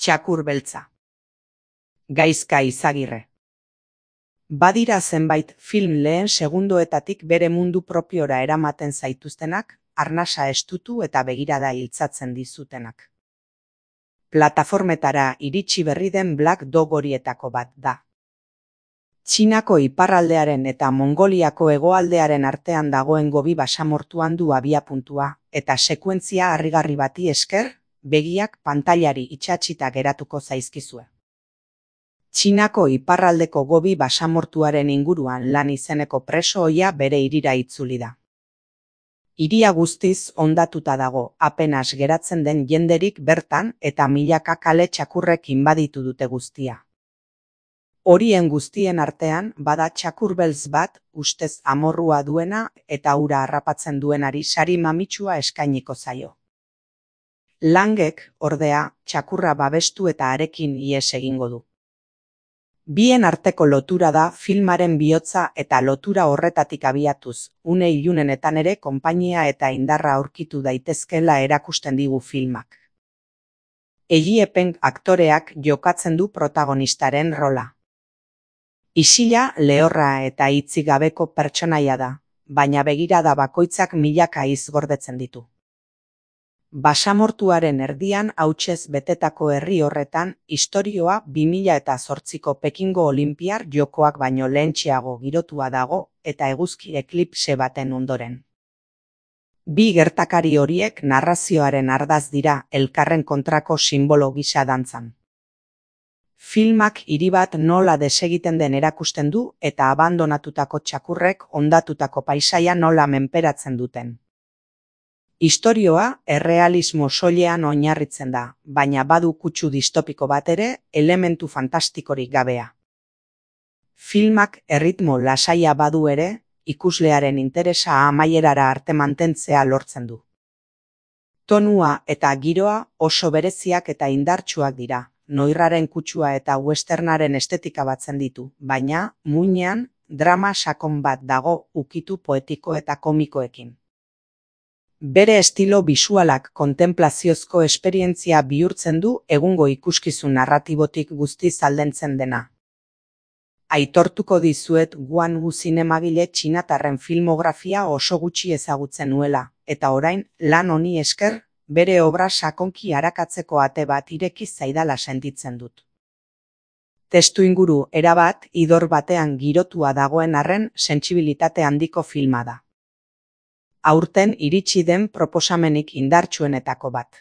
Txakur beltza. Gaizka Izagirre. Badira zenbait film lehen segundoetatik bere mundu propiora eramaten zaituztenak, arnasa estutu eta begirada iltzatzen dizutenak. Plataformetara iritsi berri den Black Dog horietako bat da. Txinako iparraldearen eta Mongoliako hegoaldearen artean dagoen Gobi basamortuan du abiapuntua, eta sekuentzia harrigarri bati esker, begiak pantailari itsatsita geratuko zaizkizue. Txinako iparraldeko Gobi basamortuaren inguruan lan izeneko preso ohia bere hirira itzuli da. Hiria guztiz hondatuta dago, apenas geratzen den jenderik bertan eta milaka kale txakurrek inbaditu dute guztia. Horien guztien artean bada txakur beltz bat, ustez amorrua duena eta ura harrapatzen duenari sari mamitsua eskainiko zaio. Langek, ordea, txakurra babestu eta harekin ihes egingo du. Bien arteko lotura da filmaren bihotza eta lotura horretatik abiatuz, une ilunenetan ere konpainia eta indarra aurkitu daitezkeela erakusten digu filmak. Egiepen aktoreak jokatzen du protagonistaren rola. Isila, lehorra eta hitzik gabeko pertsonaia da, baina begirada bakoitzak milaka hitz gordetzen ditu. Basamortuaren erdian hautsez betetako herri horretan, istorioa 2008ko Pekingo Olinpiar Jokoak baino lehentxeago girotua dago eta eguzki eklipse baten ondoren. Bi gertakari horiek narrazioaren ardaz dira elkarren kontrako sinbolo gisa dantzan. Filmak hiri bat nola desegiten den erakusten du eta abandonatutako txakurrek hondatutako paisaia nola menperatzen duten. Istorioa errealismo soilean oinarritzen da, baina badu kutsu distopiko bat ere, elementu fantastikorik gabea. Filmak erritmo lasaia badu ere, ikuslearen interesa amaierara arte mantentzea lortzen du. Tonua eta giroa oso bereziak eta indartsuak dira, noirraren kutsua eta westernaren estetika batzen ditu, baina, muinean, drama sakon bat dago ukitu poetiko eta komikoekin. Bere estilo bisualak kontenplaziozko esperientzia bihurtzen du egungo ikuskizun narratibotik guztiz aldentzen dena. Aitortuko dizuet Guan Wu zinemagile txinatarren filmografia oso gutxi ezagutzen nuela, eta orain, lan honi esker, bere obra sakonki arakatzeko ate bat ireki zaidala sentitzen dut. Testuinguru erabat, idor batean girotua dagoen arren sentsibilitate handiko filma da. Aurten iritsi den proposamenik indartsuenetako bat.